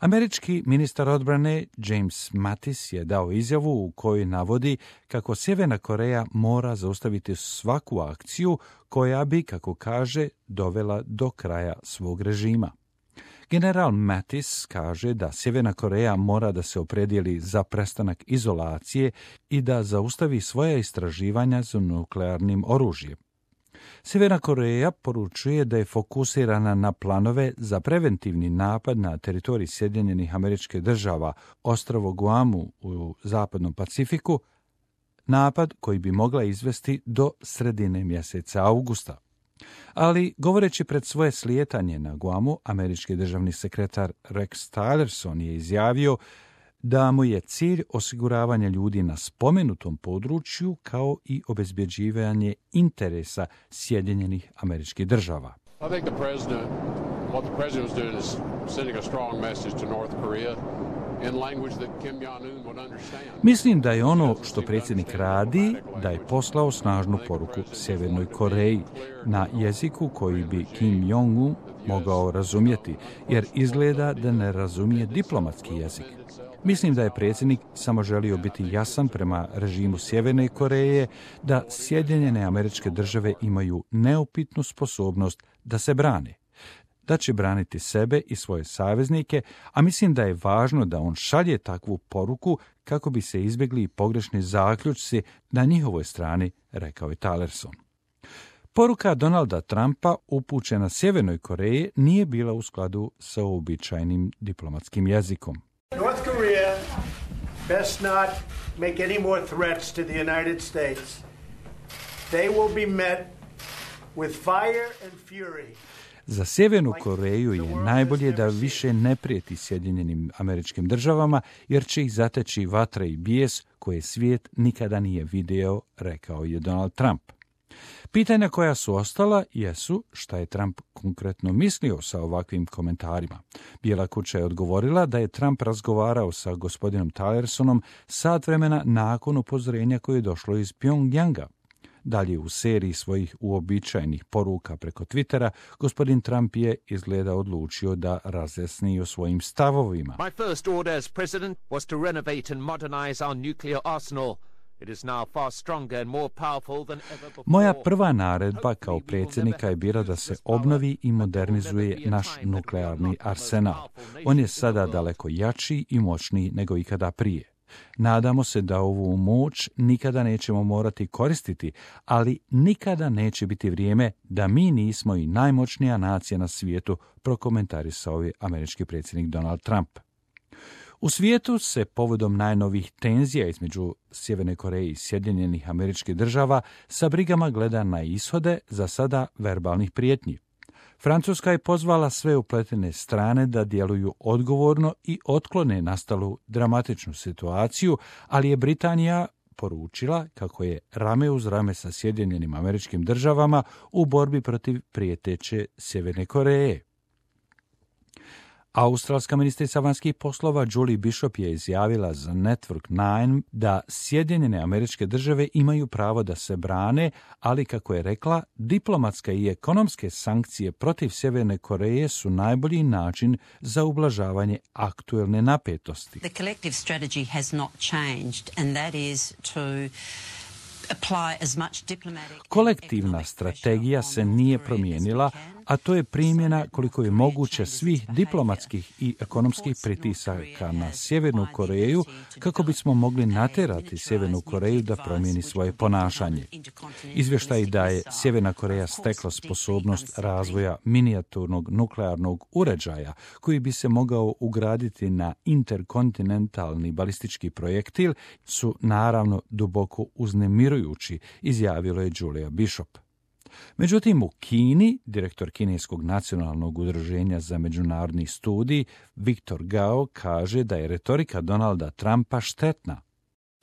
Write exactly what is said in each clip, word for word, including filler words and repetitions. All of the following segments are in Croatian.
Američki ministar odbrane James Mattis je dao izjavu u kojoj navodi kako Sjeverna Koreja mora zaustaviti svaku akciju koja bi, kako kaže, dovela do kraja svog režima. General Mattis kaže da Sjeverna Koreja mora da se opredijeli za prestanak izolacije i da zaustavi svoja istraživanja za nuklearnim oružjem. Sjeverna Koreja poručuje da je fokusirana na planove za preventivni napad na teritorij Sjedinjenih Američkih Država, ostrvo Guamu u zapadnom Pacifiku, napad koji bi mogla izvesti do sredine mjeseca augusta. Ali, govoreći pred svoje slijetanje na Guamu, američki državni sekretar Rex Tillerson je izjavio da mu je cilj osiguravanje ljudi na spomenutom području kao i obezbjeđivanje interesa Sjedinjenih Američkih Država. I think the president, what the president was doing is sending a strong message to North Korea in language that Kim Jong-un would understand. Mislim da je ono što predsjednik radi, da je poslao snažnu poruku Sjevernoj Koreji na jeziku koji bi Kim Jong-un mogao razumjeti, jer izgleda da ne razumije diplomatski jezik. Mislim da je predsjednik samo želio biti jasan prema režimu Sjeverne Koreje, da Sjedinjene Američke Države imaju neupitnu sposobnost da se brane, da će braniti sebe i svoje saveznike, a mislim da je važno da on šalje takvu poruku kako bi se izbjegli pogrešni zaključci na njihovoj strani, rekao je Tillerson. Poruka Donalda Trumpa upućena Sjevernoj Koreji nije bila u skladu sa uobičajenim diplomatskim jezikom. North Korea best not make any more threats to the United States. They will be met with fire and fury. Za Sjevernu Koreju je najbolje da više ne prijeti Sjedinjenim Američkim Državama, jer će ih zateći vatra i bijes koje svijet nikada nije video, rekao je Donald Trump. Pitanja koja su ostala jesu šta je Trump konkretno mislio sa ovakvim komentarima. Bijela kuća je odgovorila da je Trump razgovarao sa gospodinom Tillersonom sat vremena nakon upozorenja koje je došlo iz Pjongjanga. Dalje u seriji svojih uobičajenih poruka preko Twittera, gospodin Trump je izgleda odlučio da razjasni o svojim stavovima. My first order as president was to renovate and modernize our nuclear arsenal. It is now far stronger and more powerful than ever before. Moja prva naredba kao predsjednika je bila da se obnovi i modernizuje naš nuklearni arsenal. On je sada daleko jači i moćniji nego ikada prije. Nadamo se da ovu moć nikada nećemo morati koristiti, ali nikada neće biti vrijeme da mi nismo i najmoćnija nacija na svijetu, prokomentarisao je američki predsjednik Donald Trump. U svijetu se povodom najnovih tenzija između Sjeverne Koreje i Sjedinjenih Američkih Država sa brigama gleda na ishode za sada verbalnih prijetnji. Francuska je pozvala sve upletene strane da djeluju odgovorno i otklone nastalu dramatičnu situaciju, ali je Britanija poručila kako je rame uz rame sa Sjedinjenim Američkim Državama u borbi protiv prijeteće Sjeverne Koreje. Australska ministrica vanjskih poslova Julie Bishop je izjavila za Network devet da Sjedinjene Američke Države imaju pravo da se brane, ali kako je rekla, diplomatske i ekonomske sankcije protiv Sjeverne Koreje su najbolji način za ublažavanje aktuelne napetosti. The collective strategy has not changed, and that is to Kolektivna strategija se nije promijenila, a to je primjena koliko je moguće svih diplomatskih i ekonomskih pritisaka na Sjevernu Koreju kako bismo mogli natjerati Sjevernu Koreju da promijeni svoje ponašanje. Izvještaj da je Sjeverna Koreja stekla sposobnost razvoja minijaturnog nuklearnog uređaja koji bi se mogao ugraditi na interkontinentalni balistički projektil su naravno duboko uznemirujući, izjavilo je Julia Bishop. Međutim, u Kini, direktor Kineskog nacionalnog udruženja za međunarodni studij, Viktor Gao, kaže da je retorika Donalda Trumpa štetna.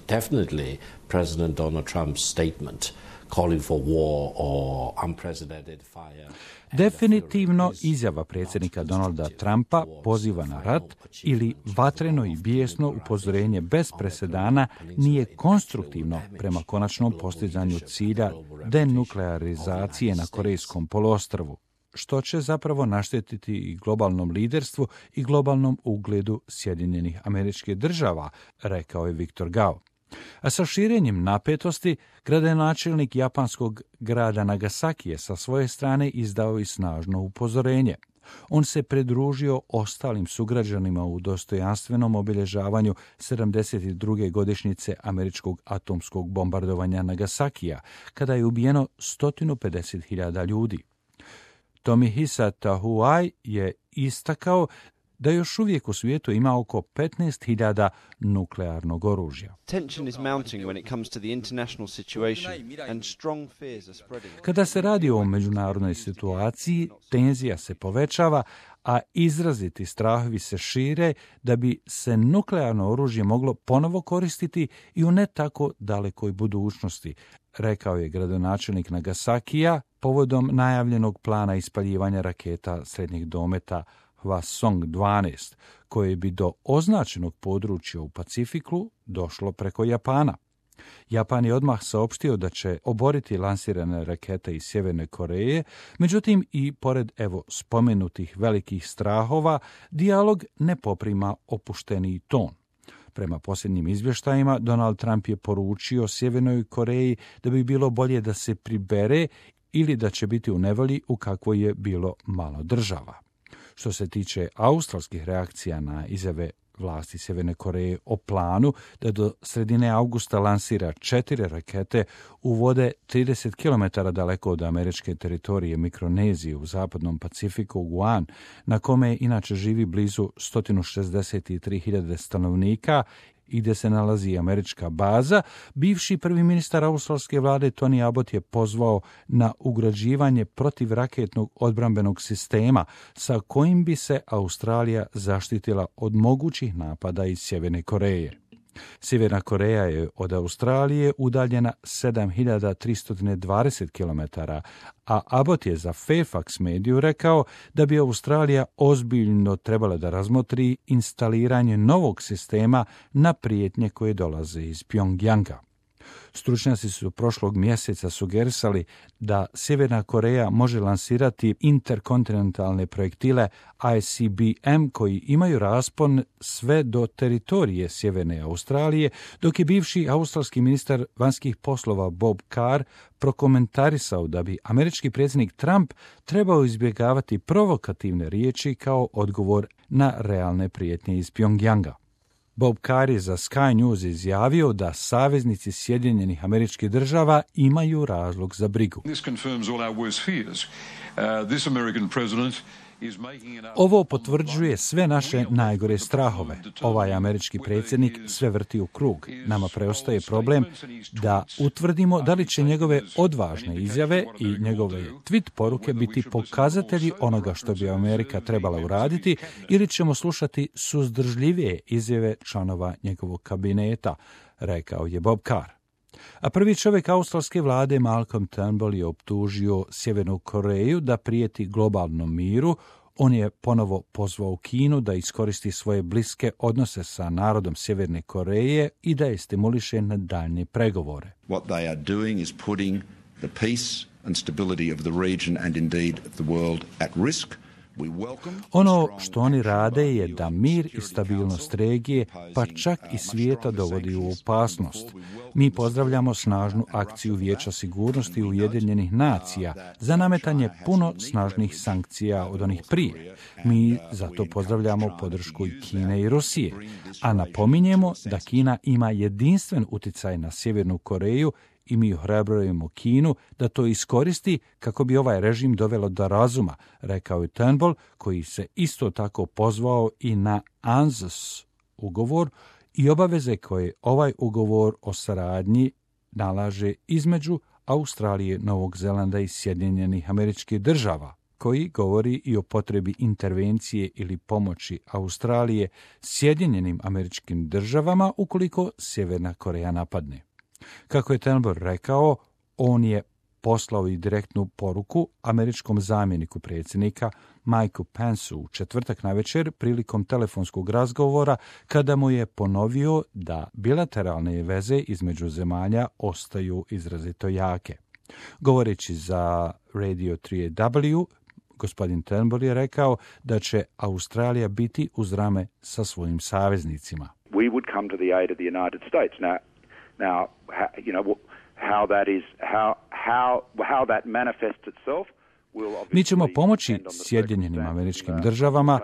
Definitely, President Donald Trump's statement calling for war or unprecedented fire. Definitivno izjava predsjednika Donalda Trumpa poziva na rat ili vatreno i bijesno upozorenje bez presedana nije konstruktivno prema konačnom postizanju cilja denuklearizacije na Korejskom poluostrvu. što će zapravo naštetiti i globalnom liderstvu i globalnom ugledu Sjedinjenih Američkih Država, rekao je Viktor Gao. A sa širenjem napetosti, gradonačelnik japanskog grada Nagasaki je sa svoje strane izdao i snažno upozorenje. On se pridružio ostalim sugrađanima u dostojanstvenom obilježavanju sedamdeset druge godišnjice američkog atomskog bombardovanja Nagasakija, kada je ubijeno sto pedeset hiljada ljudi. Tomohisa Tahuai je istakao da još uvijek u svijetu ima oko petnaest hiljada nuklearnog oružja. Kada se radi o međunarodnoj situaciji, tenzija se povećava, a izraziti strahovi se šire da bi se nuklearno oružje moglo ponovo koristiti i u ne tako dalekoj budućnosti, rekao je gradonačelnik Nagasakija povodom najavljenog plana ispaljivanja raketa srednjeg dometa Hwasong dvanaest, koje bi do označenog područja u Pacifiku došlo preko Japana. Japan je odmah saopštio da će oboriti lansirane rakete iz Sjeverne Koreje, međutim i pored evo spomenutih velikih strahova, dijalog ne poprima opušteniji ton. Prema posljednjim izvještajima, Donald Trump je poručio Sjevernoj Koreji da bi bilo bolje da se pribere ili da će biti u nevolji u kakvoj je bilo malo država. Što se tiče australskih reakcija na izjave vlasti Sjeverne Koreje o planu da do sredine avgusta lansira četiri rakete u vode trideset kilometara daleko od američke teritorije Mikronezije u zapadnom Pacifiku, Guam, na kome inače živi blizu sto šezdeset tri hiljade stanovnika i gdje se nalazi američka baza, bivši prvi ministar australske vlade Tony Abbott je pozvao na ugrađivanje protivraketnog odbrambenog sistema sa kojim bi se Australija zaštitila od mogućih napada iz Sjeverne Koreje. Sjeverna Koreja je od Australije udaljena sedam hiljada tristo dvadeset kilometara, a Abbott je za Fairfax mediju rekao da bi Australija ozbiljno trebala da razmotri instaliranje novog sistema na prijetnje koje dolaze iz Pjongjanga. Stručnjaci su prošlog mjeseca sugerisali da Sjeverna Koreja može lansirati interkontinentalne projektile I C B M koji imaju raspon sve do teritorije Sjeverne Australije, dok je bivši australski ministar vanjskih poslova Bob Carr prokomentarisao da bi američki predsjednik Trump trebao izbjegavati provokativne riječi kao odgovor na realne prijetnje iz Pjongjanga. Bob Carr je za Sky News izjavio da saveznici Sjedinjenih Američkih Država imaju razlog za brigu. Ovo potvrđuje sve naše najgore strahove. Ovaj američki predsjednik sve vrti u krug. Nama preostaje problem da utvrdimo da li će njegove odvažne izjave i njegove tweet poruke biti pokazatelji onoga što bi Amerika trebala uraditi ili ćemo slušati suzdržljivije izjave članova njegovog kabineta, rekao je Bob Carr. A prvi čovjek australske vlade Malcolm Turnbull je optužio Sjevernu Koreju da prijeti globalnom miru. On je ponovo pozvao Kinu da iskoristi svoje bliske odnose sa narodom Sjeverne Koreje i da je stimuliše na daljnje pregovore. What they are doing is putting the peace and stability of the region and indeed the world at risk. Ono što oni rade je da mir i stabilnost regije, pa čak i svijeta dovodi u opasnost. Mi pozdravljamo snažnu akciju Vijeća sigurnosti Ujedinjenih nacija za nametanje puno snažnih sankcija od onih prije. Mi zato pozdravljamo podršku i Kine i Rusije, a napominjemo da Kina ima jedinstven utjecaj na Sjevernu Koreju i mi ohrabrujemo Kinu da to iskoristi kako bi ovaj režim dovelo do razuma, rekao je Turnbull, koji se isto tako pozvao i na A N Z U S ugovor i obaveze koje ovaj ugovor o saradnji nalaže između Australije, Novog Zelanda i Sjedinjenih Američkih Država, koji govori i o potrebi intervencije ili pomoći Australije Sjedinjenim Američkim Državama ukoliko Sjeverna Koreja napadne. Kako je Turnbull rekao, on je poslao i direktnu poruku američkom zamjeniku predsjednika Mikeu Penceu u četvrtak navečer prilikom telefonskog razgovora kada mu je ponovio da bilateralne veze između zemalja ostaju izrazito jake. Govoreći za Radio tri W, Gospodin Turnbull je rekao da će Australija biti uz rame sa svojim saveznicima. We would come to the aid of the United States. Now, now, you know, how that is, how how how that manifests itself. Mi ćemo pomoći Sjedinjenim Američkim Državama.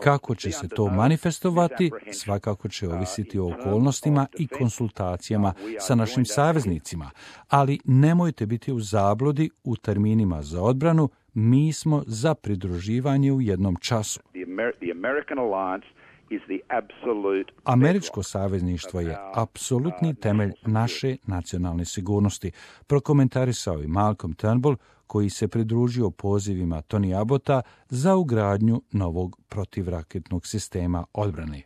Kako će se to manifestovati, svakako će ovisiti o okolnostima i konsultacijama sa našim saveznicima. Ali nemojte biti u zabludi u terminima za odbranu, mi smo za pridruživanje u jednom času. Američko savezništvo je apsolutni temelj naše nacionalne sigurnosti, prokomentarisao i Malcolm Turnbull, koji se pridružio pozivima Tony Abbotta za ugradnju novog protivraketnog sistema odbrane.